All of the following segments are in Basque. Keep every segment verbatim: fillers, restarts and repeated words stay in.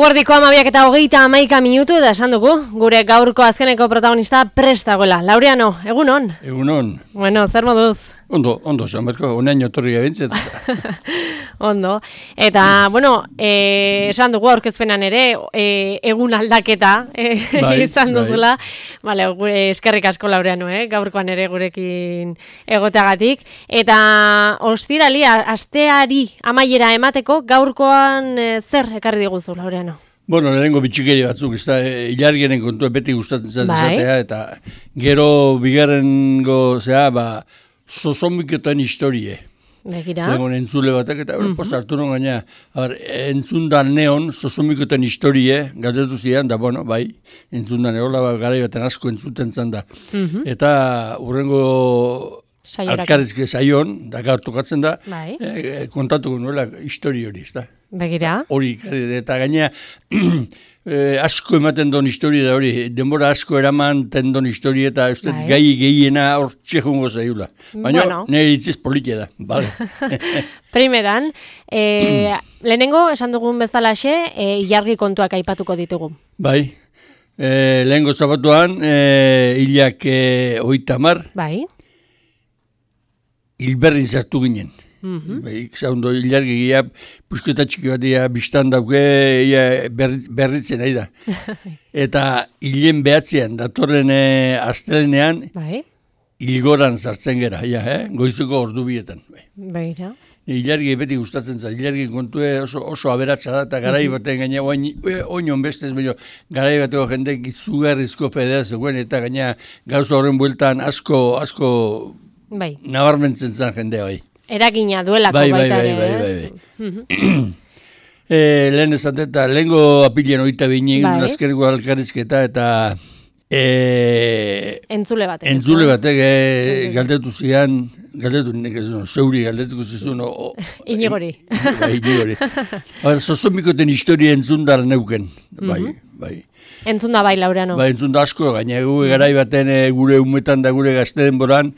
Eguerdiko amabiak eta hogeita amaika minutu da esan dugu, gure gaurko azkeneko protagonista prest dagoela. Laureano, egunon? Egunon. Bueno, zer moduz? Ondo, ondo, Sanberko, onaino torri gabintzet. Ondo. Eta, bueno, eh, esan dugu aurkezpenan ere, eh, egun aldaketa eh, bai, izan duzula. Bai. Vale, gure eskerrik asko Laureano, eh, gaurkoan ere gurekin egoteagatik. Eta ostirali, asteari amaiera emateko, gaurkoan eh, zer ekarri diguzu, Laureano? Bueno, lehenengo bitxikeri batzuk, ez da, ilargenen kontua beti gustatzen zatea, eta gero bigarrengo, zera, ba, sozomiketan historie. Begira. Lehenengo entzule batak, eta mm -hmm. hartu non gaina, entzundan neon, sozomiketan historie, galdetu zian, da, bueno, bai, entzundan erola, ba, garai baten asko entzuten zan da. Mm -hmm. Eta urrengo alkarrizke saion, da gaur tokatzen da, bai. e, kontatuko nuela histori hori, ez da. Begira. Hori, eta gainea, eh, asko ematen don historia da hori, denbora asko eraman ten don historia eta uste bai. gai gehiena hor txekungo zailula. Baina bueno. Nire itziz politia da, bale. Primeran, eh, lehenengo, esan dugun bezalaxe, eh, ilargi kontuak aipatuko ditugu. Bai, eh, lehenengo zabatuan, eh, hilak eh, oitamar, bai. Hilberrin zartu ginen. Mm-hmm. Zaundo, ilargi gira, pusketa txiki bat ia biztan dauke, ia berritz, berritzen nahi da. Eta hilen behatzean, datorren e, astelenean, bai. Hilgoran sartzen gera, ja, eh? Goizuko ordu bietan. Bai. Ilargi beti gustatzen za, ilargi kontue oso, oso aberatsa da, eta garai baten gaina, oinon bestez, baina garai bateko jendek izugarrizko fedea zegoen, eta gaina gauza horren bueltan asko, asko bai. Nabarmentzen zen jendea bai. Eragina duelako bai, baita bai, ere, bai, bai, bai. e, lehen esateta, lehenko apilean oita binik, bai. Azkeriko alkarrizketa, eta e, entzule batek. Entzule batek e, galdetu zian, galdetu nik, zeuri galdetuko zizun. Inigori. Bai, inigori. Zozomikoten historia entzundar neuken, bai, mm-hmm. bai. Entzunda bai, Laureano. Bai, entzunda asko, gaina gu garai baten e, gure umetan da gure gazte denboran,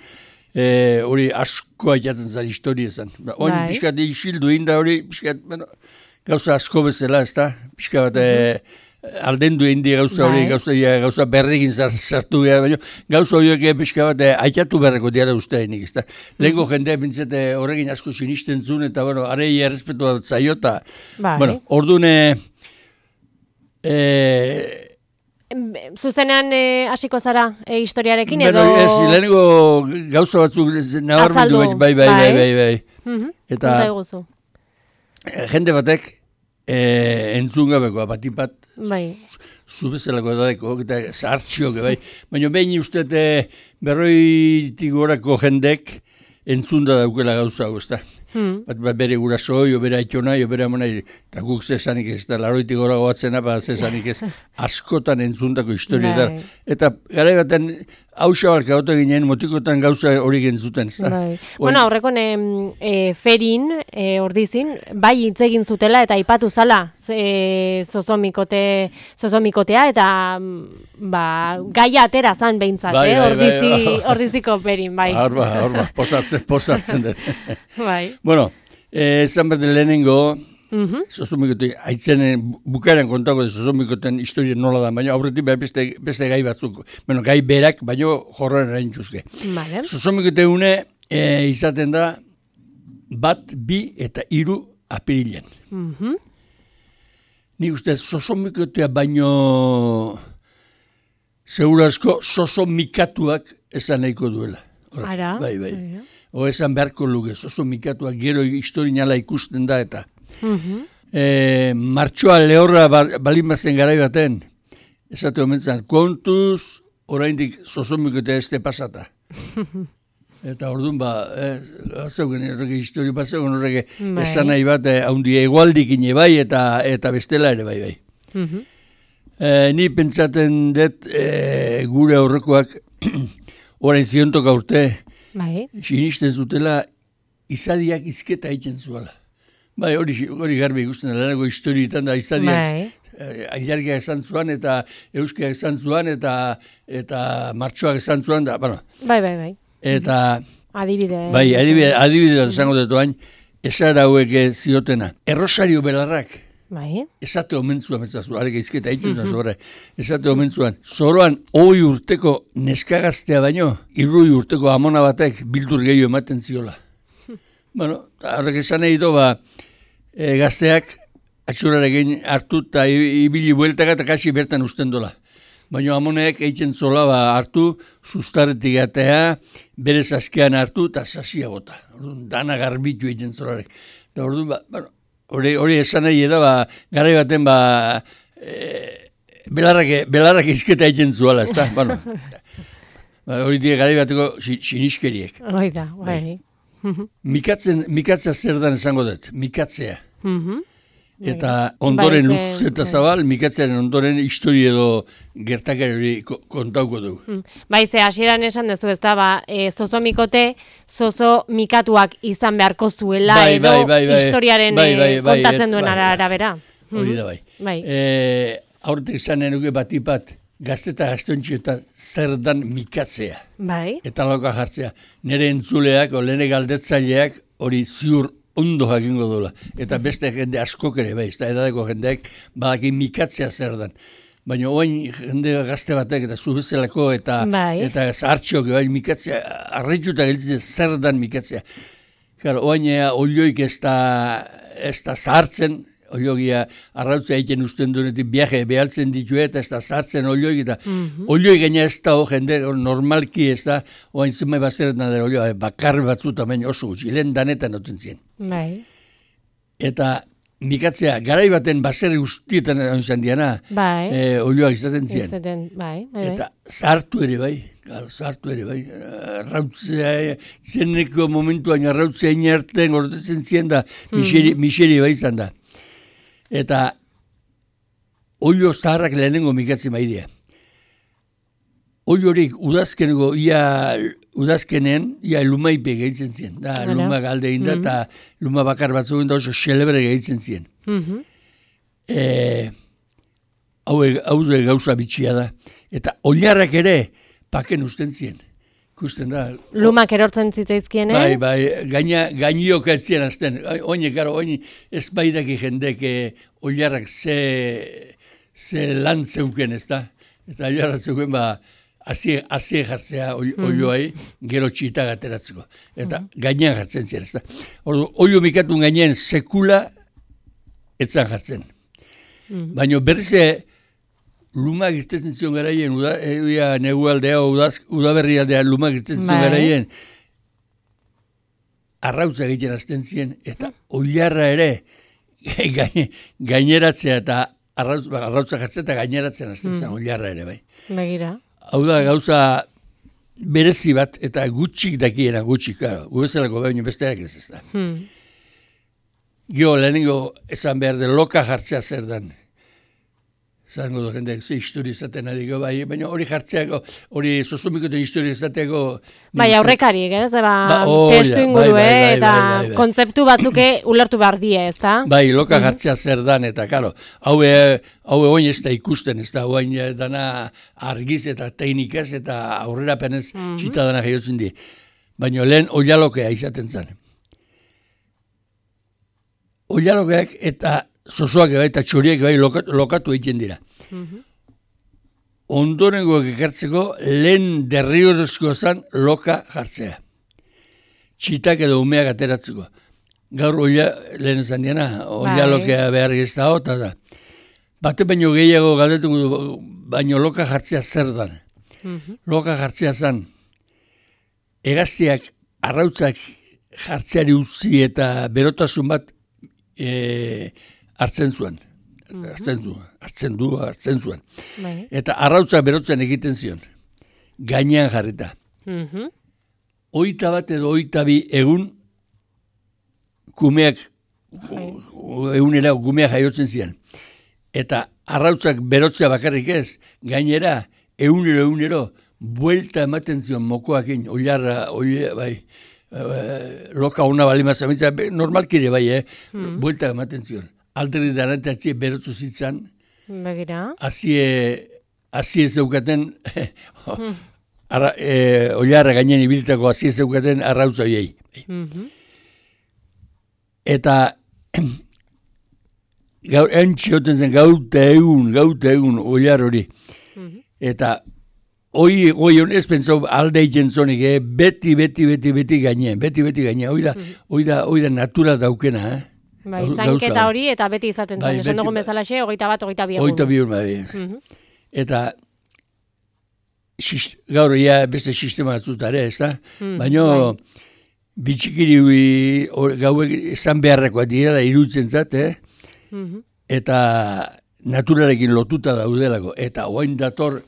hori e, asko aitatzen zen historia zen. Oin bai. Piskat isildu inda hori, piskat, bueno, gauza asko bezala, ez da? Piskat bat, mm-hmm. e, aldendu indi gauza hori, bai. gauza, gauza berrekin sartu gara, baina gauza horiek piskat bat, e, aitatu berreko diara usteainik, ez da? Lehenko mm-hmm. jendea bintzete horrekin asko sinisten zuen, eta, bueno, arei errespetu bat zaiota. Bai. Bueno, orduan, e, e, zuzenean hasiko eh, zara eh, historiarekin edo... Bueno, ez, lehenengo gauza batzuk nabarmendu bai, bai, bai, bai, bai. Mm-hmm. Eta jende batek eh, entzun gabeko, batipat, bai. Zubezelako edadeko, eta zahartxioke, bai. Baina behin uste berroitik gorako jendek entzun da daukela gauza hau, ez da. Hmm. Bat, bat bere gurasoi, bere aitona, bere amonai, eta guk zesanik ez, eta laroitik gora goatzena, bat zesanik ez, askotan entzundako historia da. Eta gara baten, hausa balka gote ginen, motikotan gauza hori gentzuten, ez da. Bai. Bueno, horrekon e, ferin, e, ordizin, bai hitz egin zutela, eta ipatu zala, e, zozomikote, zozomikotea, eta ba, gaia atera zan behintzat, bai, eh? bai, Ordizi, bai, bai. Ordiziko ferin, bai. Horba, horba, posartzen, posartzen dut. Bai. Bueno, esan eh, bete lehenengo, mm-hmm. Zozomikote, haitzen bukaeran kontako zozomikoten historia nola da, baina aurretik beste, beste gai batzuk, bueno, gai berak, baina jorran erain txuzke. Vale. Zozomikote une e, izaten da bat, bi eta hiru apirilen. Mm-hmm. Nik uste zozomikotea baino segurazko zozomikatuak esan nahiko duela. Horaz, Ara, bai, bai. O esan beharko luke, zozomikatuak gero historinala ikusten da eta. Mm-hmm. e, martxoa lehorra balin bazen garai baten, esate homentzan, kontuz oraindik zozomikotea este pasata. Eta orduan ba, eh, zeugen horrege historio bat zeugen horrege esan nahi bat, haundi eh, egualdikin bai eta eta bestela ere bai bai. Mm-hmm. eh, ni pentsaten dut eh, gure aurrekoak orain ziontoka urte, bai. Sinisten zutela izadiak izketa egiten zuela. Bai, hori, hori garbi ikusten da, lehenako historietan da izadiak bai. Ailargiak esan zuan eta euskiak esan zuan eta eta martxoak esan zuan da, bueno. Bai, bai, bai. Eta... Adibide. Bai, adibide, adibide esango dut oain, esara hauek ziotena. Errosario belarrak, Bai. Esate omentzuan, metzazu, arek izketa egiten zuen zorra. Esate omentzuan, zoroan hoi urteko neskagaztea baino, irrui urteko amona batek bildur gehiago ematen ziola. Bueno, horrek esan nahi do, ba, e, gazteak atxurarekin hartu eta ibili bueltaka eta kasi bertan usten dola. Baina amoneak egiten zola ba, hartu, sustarretik atea, berez askean hartu eta sasia bota. Orduan, dana garbitu egiten zolarek. Eta orduan, ba, bueno, hori, hori esan nahi da, ba, garai baten, ba, e, belarrak, belarrak izketa egiten zuala, ez da? Bueno, ba, hori dira garai bateko siniskeriek. Hoi da, bai. Mikatzen, mikatzea zer dan esango dut, mikatzea. Mhm. Eta ondoren luz eta zabal, mikatzearen ondoren historia edo gertakari hori kontauko dugu. Bai, ze hasieran esan dezu, ez da, ba, e, zozo mikote, zozo mikatuak izan beharko zuela, bai, edo bai, bai, bai, historiaren bai, bai, bai, kontatzen bai, duen bai, arabera. Hori da bai. Bai. E, aurretik zanen nuke batipat, gazte eta gaztontxi eta zer dan mikatzea. Bai. Eta lauka jartzea. Nire entzuleak, o lehene galdetzaileak, hori ziur ondo jakingo dola. Eta beste jende askok ere, bai, eta edadeko jendeak badakin mikatzea zer dan. Baina oain jende gazte batek eta zubezelako eta bai. eta zahartxiok bai, mikatzea, arreituta gelditzen zer dan mikatzea. Claro, oain ea olioik ez da, ez da zahartzen, oliogia arrautzea egiten usten duenetik viaje behaltzen ditu eta ez da zahartzen olioik eta mm-hmm. olioik gaina ez da, jende normalki ez da, oain zumai bazeretan dara olioa, bakar batzuta baina oso gutxi, lehen danetan noten zien. Bai. Eta mikatzea, garai baten baserri guztietan izan diana, bai. e, olioak izaten zien. Izaten, bai, bai, bai. Eta zartu ere bai, zartu ere bai, arrautzea, zieneko momentuan arrautzea inerten gordetzen zien da, miseri, miseri bai izan da. Eta olio zaharrak lehenengo mikatzen maidea. Olio horik udazkeneko, ia udazkenen, ia lumaipe gehitzen zien. Da, Hala. Luma galde inda, eta mm-hmm. luma bakar batzuk da oso xelebre gehitzen zien. Mm-hmm. E, hau, hau gauza bitxia da. Eta oliarrak ere paken usten zien. Ikusten da. Lumak erortzen zitzaizkien, eh? Bai, bai, gaina, gainiok etzien azten. Oine, karo, oine, ez baidaki jendek oliarrak ze, ze lan zeuken, ez da? Eta oliarrak zeuken, ba, hazie jartzea olioai, gero txita gateratzeko. Eta mm-hmm. gainean jartzen ziren, ez da? Olio mikatun gainean sekula etzan jartzen. Mm-hmm. Baina berrize, lumak irtetzen zion garaien, uda, e, negualdea, udaberri aldea, lumak irtetzen zion garaien, arrautza egiten azten ziren, eta oliarra ere gaine, gaineratzea eta arrautza, arrautza jartzea eta gaineratzen azten zen, mm. oliarra ere, bai. Begira. Hau da gauza berezi bat, eta gutxik dakiena, gutxik, gara, gubezelako baino besteak ez ez da. Hmm. Gio, lehenengo esan behar de loka jartzea zer dan. Zango du jendeak ze historia izaten adiko, bai, baina hori jartzeako, hori sozomikoten historia izateako... Bai, aurrekarik, ez? Ba, ba, testu inguru, bai, bai, bai, eta bai, bai, bai. Kontzeptu batzuke ulertu behar die, ez da? Bai, loka jartzea zer dan, eta karo, haue, haue oin ez da ikusten, ez da, oin dana argiz eta teknikaz eta aurrera penez mm-hmm. txita dana jaiotzen die. Baina lehen oialokea izaten zen. Oialokeak eta... Zozoak bai eta txoriek bai lokatu, lokatu egiten dira. Mm-hmm. Ondorengoak ekartzeko lehen derrigorrezkoa zen loka jartzea. Txitak edo umeak ateratzeko. Gaur oia, lehen esan diana, oia lokea behar gezta hota da. Bate baino gehiago galdetuko du, baino loka jartzea zer dan. Mm-hmm. Loka jartzea zen, egaztiak arrautzak jartzeari utzi eta berotasun bat e, hartzen zuen, mm-hmm. hartzen zuen, hartzen du, hartzen zuen. Bai. Eta arrautzak berotzen egiten zion, gainean jarrita. Mm-hmm. Oita bat edo oita bi egun kumeak, bai. egunera kumeak jaiotzen zian. Eta arrautzak berotzea bakarrik ez, gainera egunero egunero buelta ematen zion mokoakin, oilarra, oilarra, bai, loka ona balima zamitza, normalkire bai, eh? Mm-hmm. Buelta ematen zion. Alderri daratatzie berotzu zitzan. Begira. Azie, azie zeukaten, mm. e, oilarra gainen ibiltako azie zeukaten arrautza hoiei. Mm-hmm. Eta gaur, entxioten zen gauta egun, gauta egun, oiar hori. Mm-hmm. Eta hoi, hoi hon ez pentsau alde jentzonik, eh? beti, beti, beti, beti gaine, beti, beti gaine, hoi da, mm-hmm. hoi da, hoi da natura daukena, eh? Bai, zainketa hori eta beti izaten zen, bai, esan dugun bezalaxe, hogeita bat, hogeita bi egun. Hogeita bi egun, bai. Mm-hmm. Eta xist, gaur ia beste sistema batzutare, ez da? Mm, baina bai. Bitxikiri gauek esan beharrekoa direla iruditzen zat, eh? Mm-hmm. Eta naturarekin lotuta daudelako. Eta oain dator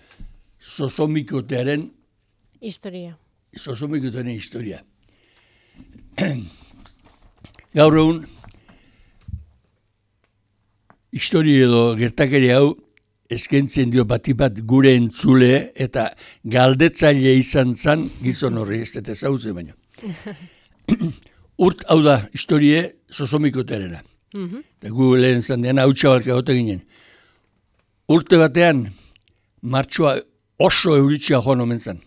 zozomikotearen historia. Zozomikotearen historia. Gaur egun historia edo gertakeri hau eskentzen dio batipat gure entzule eta galdetzaile izan zan gizon horri, ez dut ezautzen baino. Urt hau da historie zozomikoterena. Mm-hmm. Eta gu lehen zandean hau txabalka gote ginen. Urte batean martxoa oso euritxea joan omen zan.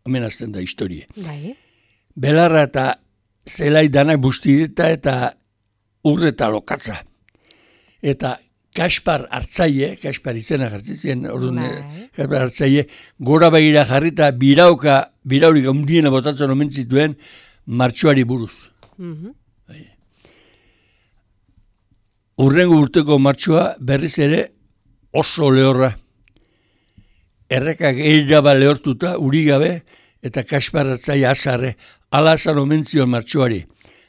Omen azten da historie. Bai. Belarra eta zelai danak bustireta eta urreta lokatza. Eta Kaspar hartzaile, Kaspar izena jartzitzen, orduan Kaspar hartzaile, gora begira jarrita birauka, biraurik handiena botatzen omen zituen martxoari buruz. Mm-hmm. Urrengo urteko martxoa berriz ere oso lehorra. Errekak eiraba lehortuta, uri gabe, eta Kaspar hartzaile asarre, ala asan omen zion martxoari.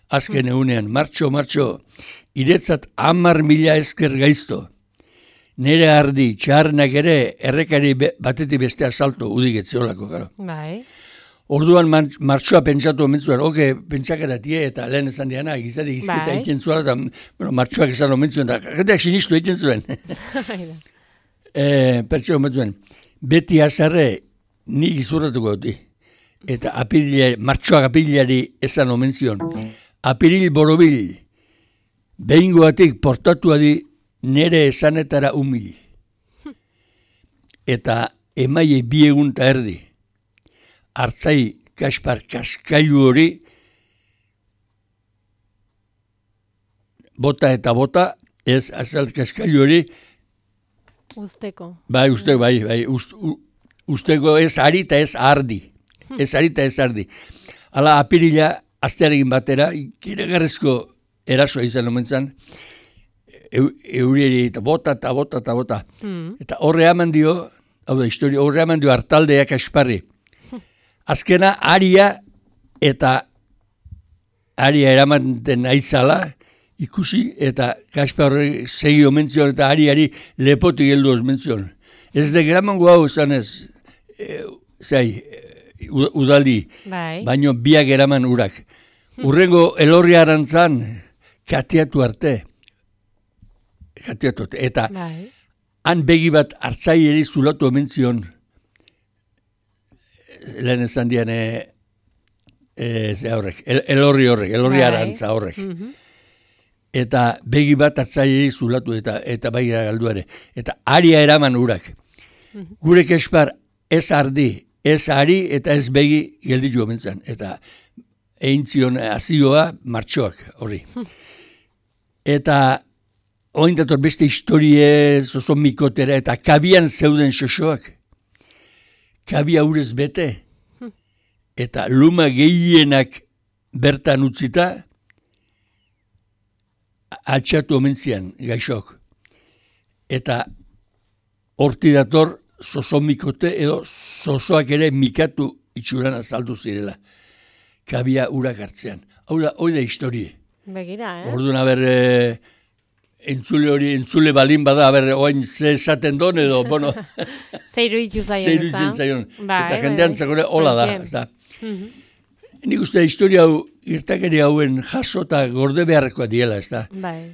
Azken egunean, martxo, martxo, iretzat hamar mila esker gaizto. Nere ardi, txarnak ere, errekari be, batetik bestea salto, udigetze olako, gara. Bai. Orduan martxoa pentsatu omentzuen, oke, pentsakeratie eta lehen esan diana, gizari izketa bai. Eiken zuela, eta bueno, martxoak esan omentzuen, eta jendeak sinistu eiken zuen. e, Pertsio omentzuen, beti azarre nik izurratuko dut. Eta apirili, martxoak apirilari esan omentzion. Apiril borobil, behingoatik portatua di nere esanetara humil. Eta emaie bi egun ta erdi. Hartzai Kaspar kaskailu hori bota eta bota, ez azalt kaskailu hori usteko. Bai, usteko, bai, bai, ust, u, usteko ez ari eta ez ardi. Ez ari eta ez ardi. Hala apirila astearekin batera, kiregarrezko erasoa izan omentzan, eurieri eta bota eta bota eta bota. Mm. Eta horre haman dio, hau da historia, horre haman dio hartaldea Kasparri. Azkena aria eta aria eramanten aizala ikusi eta Kaspar horre segi omentzion eta ariari lepotik heldu omentzion. Ez de gramango hau esan ez, e, zai, udaldi, bai. Baino biak eraman urak. Urrengo elorri arantzan, kateatu arte. Kateatu arte. Eta bai. Han begi bat hartzaileri zulatu omentzion, lehen esan dian, e, e, ze horrek, el, elorri horrek, elorri bai. Arantza horrek. Mm-hmm. Eta begi bat hartzaileri zulatu eta eta bai galduare. Eta aria eraman urak. Mm-hmm. Gure Kaspar ez ardi, ez ari eta ez begi gelditu omentzan. Eta egin zion azioa martxoak horri. Eta oin dator beste historie zozo mikotera eta kabian zeuden xoxoak. Kabia urez bete. Eta luma gehienak bertan utzita altxatu omentzian gaixok. Eta horti dator zozo mikote edo zozoak ere mikatu itxuran azaldu zirela. Kabia urak hartzean. Hau da, hoi da historie. Begira, eh? Orduan, haber, e, entzule hori, entzule balin bada, haber, oain ze esaten don edo, bueno. Zeiru itu zaion, Zeiru itu zaion. Eta jendean zakore hola da, ez da. Nik uste historia hau, irtakeri hauen jaso eta gorde beharrekoa diela, ez da. Bai.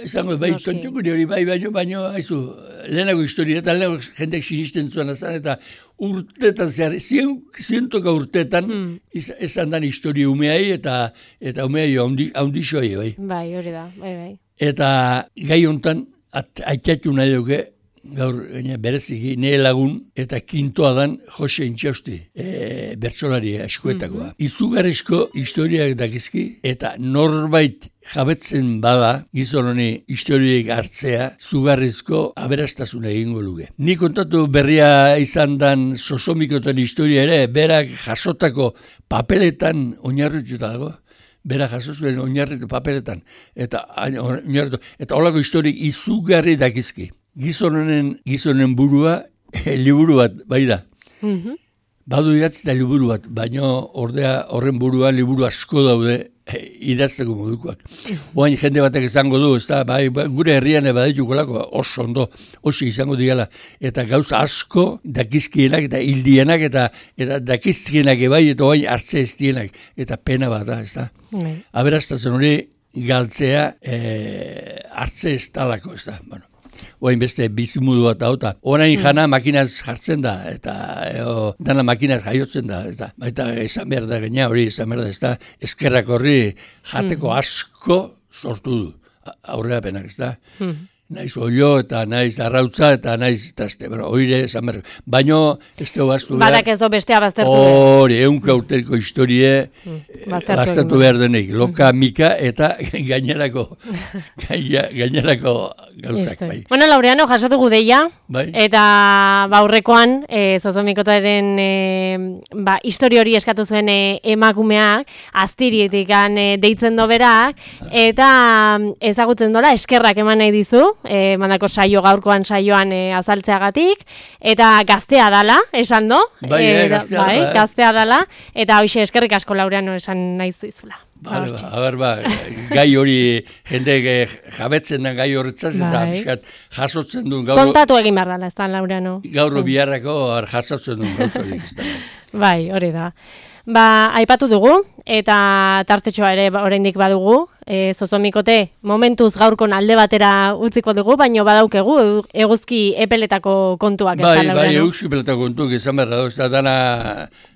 Esango, bai, tontukuri hori, bai, baino, baino, haizu, lehenago historia, eta lehenago jendeak sinisten zuen azan, eta urtetan zehar, zien, zientoka urtetan, hmm. esan dan historia umeai, eta eta umeai haundixoi, bai. Bai, hori da, bai, bai. Eta gai hontan, aitatu nahi duke, gaur bereziki, nire lagun, eta kintoa dan Jose Intxausti, e, bertsolari eskuetakoa. Mm-hmm. Izugarrizko historiak dakizki, eta norbait jabetzen bada, gizon honi historiak hartzea, zugarrizko aberastasuna egingo luke. Ni kontatu berria izan dan Sosomikoten historia ere, berak jasotako papeletan oinarrituta dago. Bera jaso zuen oinarritu papeletan, eta oinarritu, eta holako historik izugarri dakizki. Gizonen, gizonen burua, e, liburu bat, bai da. Mm-hmm. Badu idatzi eta liburu bat, baina ordea horren burua liburu asko daude e, idazteko modukoak. Oain jende batek izango du, ez da, bai, gure herrian baditukolako oso ondo, oso izango diala, eta gauza asko dakizkienak eta hildienak eta eta dakizkienak ebai, eta oain hartze ez dienak, eta pena bat da, ez da. Mm. Aberastazten hori galtzea e, hartze ez talako, ez da, bueno. Oain beste bizimudu bat dauta. Orain jana makinaz jartzen da, eta eo, dana makinaz jaiotzen da, eta baita esan behar da gaina, hori esan behar da, ez da, eskerrak horri jateko asko sortu du, aurrera penak, ez da. Naiz olio eta naiz arrautza eta naiz traste, bueno, oire esan behar. Baina ez teo baztu behar. Badak ez do bestea baztertu. Hori, eunka urteriko historie baztertu behar denik. Loka, mika eta gainerako, gainerako gauzak. Bai. Bueno, Laureano, jaso dugu deia, bai. Eta baurrekoan, e, Zozomikotaren e, ba, histori hori eskatu zuen e, emakumeak, aztirietik e, deitzen doberak, eta ezagutzen dola, eskerrak eman nahi dizu, e, mandako saio gaurkoan saioan e, azaltzeagatik, eta gaztea dala, esan do? Bai, e, gaztea, bai, bai. Gaztea dala, eta hoxe eskerrik asko Laureano esan nahi zizula. Vale, ba, a ber, ba, gai hori jende jabetzen da gai horretzaz, bai. Eta biskat jasotzen duen gaur... Kontatu egin behar dala, ez da, Laureano? Gaur biharrako jasotzen duen gauz hori. Bai, hori da. Ba, aipatu dugu, eta tartetxoa ere oraindik badugu, e, Zozomikote momentuz gaurkon alde batera utziko dugu, baino badaukegu eguzki epeletako kontuak. Bai, ez da, bai, eguzki epeletako kontuak izan behar da, ez da, dana,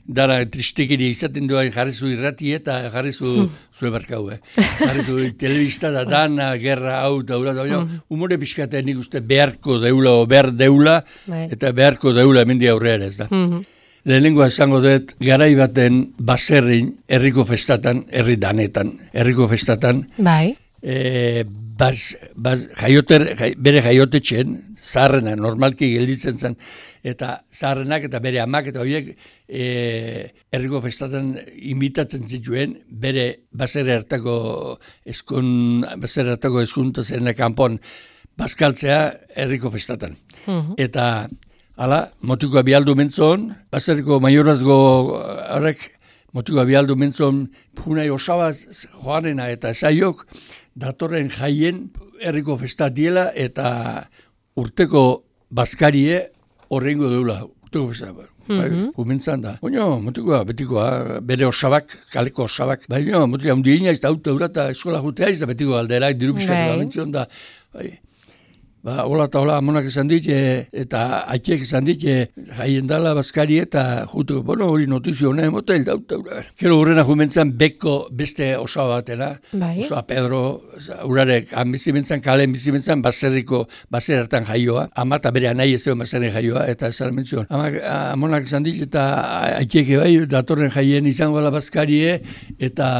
dana tristekiri izaten duan jarrizu irrati eta jarrizu hmm. zue barkau, eh? Jarrizu telebista da dana, gerra, hau, daura, da, hmm. humore pixkatea nik uste beharko deula, o behar deula, bai. Eta beharko deula hemendi aurrera, ez da. Hmm. Lehenengoa esango dut, garai baten baserrin, herriko festatan, herri danetan, herriko festatan, bai. E, baz, baz, jaioter, jai, bere jaiotetxen, zaharrena, normalki gelditzen zen, eta zaharrenak eta bere amak eta horiek e, herriko festatan invitatzen zituen, bere baserri hartako eskun, baserri hartako eskunta zen kanpon bazkaltzea herriko festatan. Uh-huh. Eta hala, motikoa bialdu mentzon, baserriko maiorazgo horrek, motikoa bialdu mentzon, punai osabaz joanena eta esaiok, datorren jaien herriko festat diela eta urteko bazkarie horrengo deula, urteko festat. Mm-hmm. Kumentzan da. Baina, motikoa, betikoa, bere osabak, kaleko osabak. Baina, motikoa, hundi ina ez da, auta urata eskola jutea ez da, betiko alderak, diru piskatu babentzion da. Bai. Ba, hola eta hola amonak esan dit, eta aitek esan dit, jaien dala bazkari eta jutu, bueno, hori notizio honen, motel dauta. Gero hurrena jumentzan beko beste osaba batena, bai. Osoa Pedro, urarek, han bizimentzan, kalen bizimentzan, baserriko, baser hartan jaioa, ama eta bere anai ez egon baserri jaioa, eta ez zara mentzion. Amonak esan dit, eta aitek bai, datorren jaien izango dela bazkarie, eta,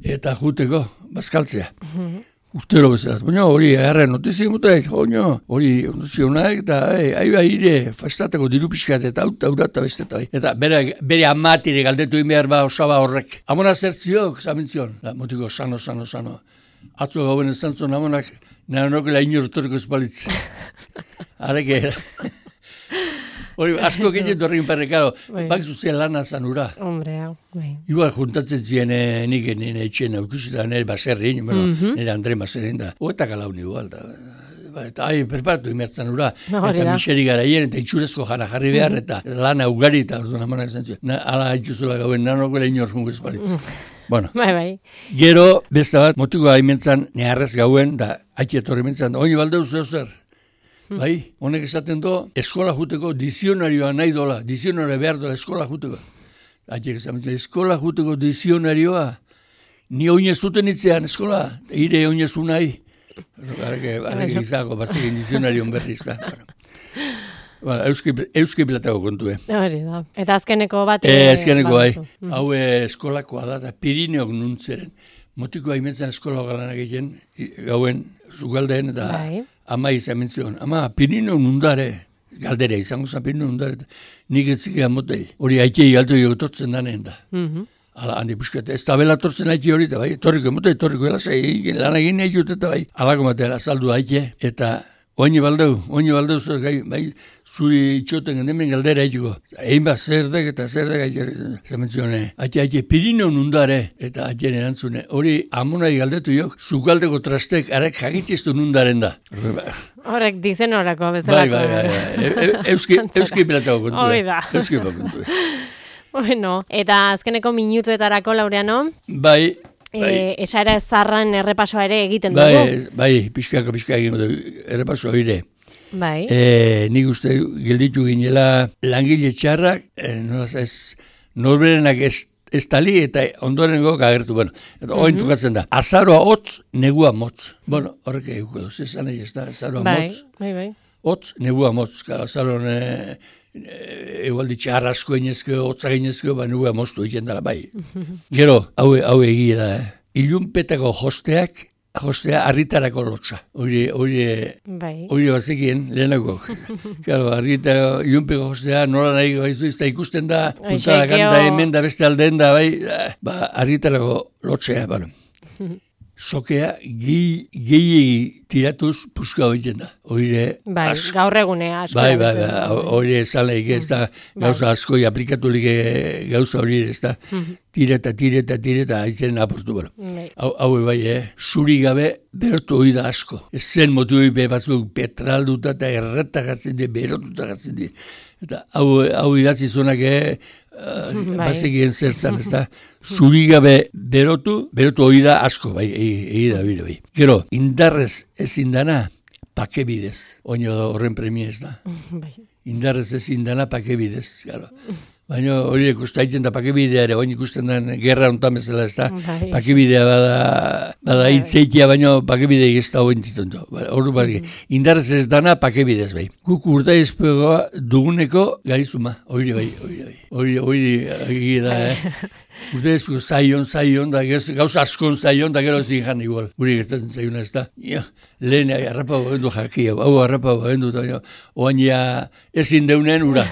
eta juteko bazkaltzea. Mm-hmm. Ustero bezalaz, baina hori agarra notizia mutek, hori notizia honak, eta ahi behire festatako diru pixkat eta auta urata beste eta eta bere, bere amatire galdetu behar ba osaba horrek. Amona zertziok, zamintzion, da, motiko sano, sano, sano. Atzo gauen ez zantzon amonak, nara nokela inortoriko espalitz. Areke, hori, asko egiten dorrekin perrekaro, bak zuzien lana zanura. Hombre, hau, bai. Igual juntatzen ziren nik nire etxien aukusita nire baserrin, bueno, mm-hmm. nire Andre baserrin da. Oetak alaun igual da. Ba, eta hai, perpatu imertzen ura. No, eta miseri garaien, eta itxurezko jana jarri behar, mm-hmm. eta lana ugari eta orduan amanak zen zuen. Ala itxuzula gauen, nanokoela inor jungo espalitz. Bueno, bai, bai. Gero, beste bat, motiko haimentzan, neharrez gauen, da, haiti etorri mentzan, oini baldeu zeu zer. Bai, honek esaten do, eskola juteko dizionarioa nahi dola, dizionarioa behar dola eskola juteko. Haitek esaten, eskola juteko dizionarioa, ni oinez zuten itzean eskola, ire oinezu nahi. Arake, arake izako, bazikin dizionarion berri izan. Ba, euski, euski platako kontue. Hori da. Eta azkeneko bat... E, azkeneko bai. Hau eskolakoa da, eta Pirineok nuntzeren. Motiko haimetzen eskola galanak egiten, gauen, zugaldeen, eta bai. Ama izan mentzion. Ama, Pirineok nundare, galdera izango zen Pirineok nundare, nik etzikea motei. Hori haitei galtu jogotortzen danen da. Mm-hmm. Ala, handi puskete, ez tabela tortzen haiti hori, eta bai, torriko motei, torriko elasa, lan egin nahi jut, eta bai. Alako matela, saldu haite, eta... Oine baldeu, oine baldeu, bai, zuri itxoten gendemen galdera haitiko. Egin bat, zerdek eta zerdek haitxe, zementzione. Haitxe, haitxe, Pirineo nundare, eta haitxen erantzune. Hori, amonai galdetu jok, zukaldeko trastek arek jakitiztu nundaren da. Horrek dizen horako, bezalako. Bai, bai, bai, euski, euski pilatako kontu. Hoi da. Euski pilatako kontu. Bueno, eta azkeneko minutuetarako, Laureano? Bai, Bai. E, esara ezarran errepasoa ere egiten dugu? Bai, bai, pixkaka pixka egin dugu errepasoa ere. Bai. E, nik uste gelditu ginela langile txarrak, e, nolaz ez, norberenak ez, ez tali eta ondorengo agertu. Bueno, eta oin mm-hmm. tukatzen da. Azaroa hotz, negua motz. Bueno, horrek eguko duz, ez nahi ez da, azaroa bai, motz. Bai, bai. Hotz, negua motz. Azaroan e, egualdi txarra asko inezko, hotza inezko, ba negua moztu egiten dara, bai. Gero, hau, hau egia da, eh? Ilunpetako josteak, jostea harritarako lotxa. Hori, hori, bai. Hori bazekien, lehenako. Claro, harritara, ilunpeko jostea, nola nahi baizu izta ikusten da, puntada ganda hemen da beste aldeen da, bai, ba, harritarako lotxea, bueno. Sokea gehiegi tiratuz puska egiten da. Oire, bai, asko. Gaur egunea asko. Bai, bai, bai, hori ezaleik ez da, gauza asko aplikatulik gauza hori ez da. Tireta, tireta, tireta, haitzen apostu, bueno. Hau, hau bai, eh? Zuri gabe berotu hori da asko. Ez zen motu be batzuk petralduta eta erretagatzen di, berotutagatzen di. Eta hau, hau idatzi zuenak, eh? Uh, bai. Bazekien zertzan, ez da, zuri gabe berotu, berotu hori da asko, bai, egi da, bai, bai. Gero, indarrez ezin dana, pakebidez, oino horren premia ez da. Bai. Indarrez ezin dana, pakebidez, gero. Baina hori ikustaiten da pakebidea ere, oin ikusten den gerra ontan bezala ez da, bai. Pakebidea bada, bada bai. Hitzeitia, baina pakebidea ez da oin dituntu. Horru bat, mm. Indarrez ez dana, pakebidez bai. Guk urta izpegoa duguneko garizuma, hori bai, hori bai. Hori, hori, hori da, eh? Urte ezpego zaion, zaion, da gauza askon zaion, da gero ezin jan igual. Guri gertatzen zaiona ez da. Ja, lehen harrapa babendu jakia, hau harrapa babendu, oain ja ezin deunen ura.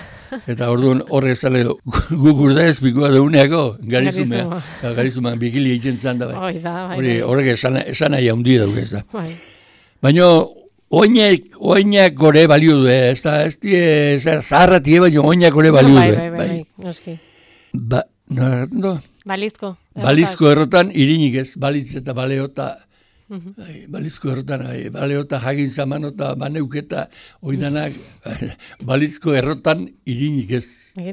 Eta orduan horre zale guk urda ezpikoa deuneako, garizumea. Garizumea, bikili egiten zan da bai. Horrek esan nahi haundi dauk ez da. Baina oinak, oinak gore balio du, ez da, ez die, zaharra tie, baina oinak gore balio du. Bai, bai, bai, noski. Ba, nola gartzen du? Balizko. Balizko errotan irinik ez, balitz eta baleota, bai, balizko errotan, bai, baleota jagin zamanota, baneuketa, oidanak, balizko errotan irinik ez.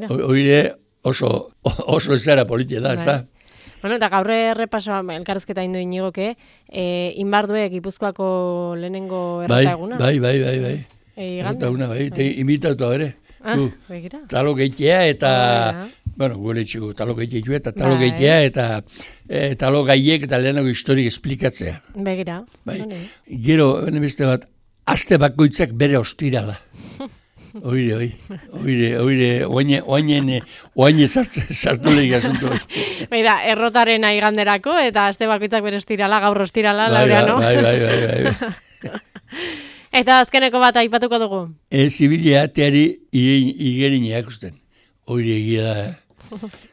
Oire oso, oso ezera politia da, ez da. Bueno, eta gaur errepasoa elkarrezketa indu inigoke, eh, Inbardue Gipuzkoako lehenengo errota eguna? Bai, bai, bai, bai. Errota eguna, bai, bai. Imitatu ere. Ah, begira. Talo geitea eta, oh, bueno, gure txiko, talo geitea eta talo bai. Geitea eta e, talo gaiek eta lehenago historik esplikatzea. Begira. Bai. Gero, bene beste bat, aste bakoitzak bere ostirala. Oire, oi, oire, oire, oine, oine, oine sartu lehik asunto. Beira, errotaren aiganderako eta aste bakoitzak bere ostirala, gaur ostirala, bai, Laureano. Bai, bai, bai, bai. Eta azkeneko bat aipatuko dugu? E, zibilia teari igerin eakusten. Oire egia da, eh?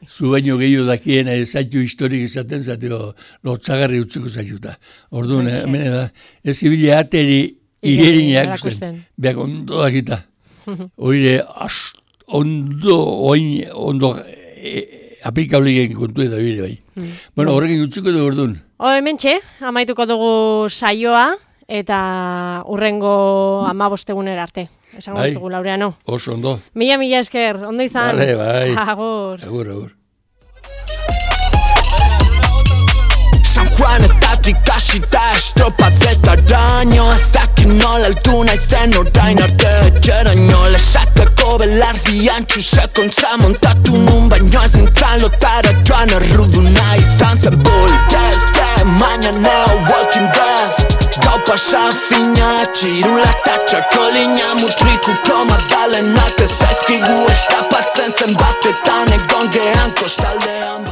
Zu baino gehiago dakien zaitu historik izaten, zateo lotzagarri utziko zaituta. Orduan, eh, mene da, ez zibilia teari igerin eakusten. Beak ondo dakita. Oire, ondo, oin, ondo e, aplikablik kontu edo bire bai. Mm. Bueno, horrekin utziko dugu orduan. O, hemen txe, amaituko dugu saioa, eta urrengo amabostegunera arte. Esango bai. Zugu, Laureano. Oso ondo. Mila, mila esker, ondo izan. Vale, bai. Agur. Agur, agur. San Juanetatik hasita estropatretaraino ez dakit nola altu naizen orain arte etxeraino lesakako belardian txusekontza montatu nun baino ez nintzen lotara joan erruduna izan zen bultete mañaneo Walking Death Gau pasa fina, txirula eta txakolina Mutrikuko madalenak ez zaizkigu eskapatzen zenbatetan egon gehan kostaldean